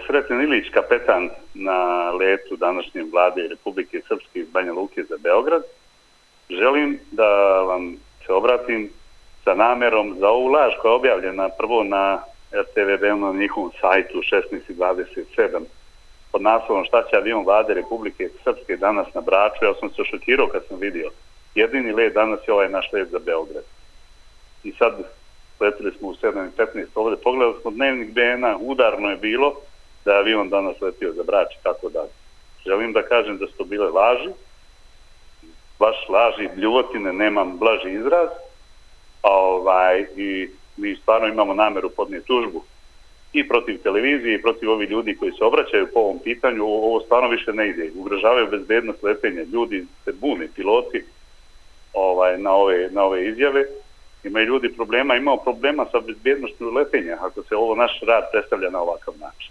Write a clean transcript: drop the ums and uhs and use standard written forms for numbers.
Sreten Ilić, kapetan na letu današnje vlade Republike Srpske iz Banja Luke za Beograd. Želim da vam se obratim sa namerom za ovu laž koja je objavljena prvo na RTV na njihovom sajtu 16:27 pod naslovom šta će avion vlade Republike Srpske danas na Braču. Ja sam se šokirao kad sam vidio. Jedini let danas je ovaj naš let za Beograd. I sad letili smo u 7:15 ovdje, pogledali smo dnevnik BN-a, udarno je bilo da je avion danas letio za Brač i tako dalje. Želim da kažem da su to bile laži, baš laži, bljuvotine, nemam blaži izraz, i mi stvarno imamo nameru podnijeti tužbu i protiv televizije i protiv ovih ljudi koji se obraćaju po ovom pitanju. Ovo stvarno više ne ide, ugrožavaju bezbednost letenja, ljudi se bune, piloti na ove izjave. Imaju ljudi imamo problema sa bezbjednošću letenja ako se ovo naš rad predstavlja na ovakav način.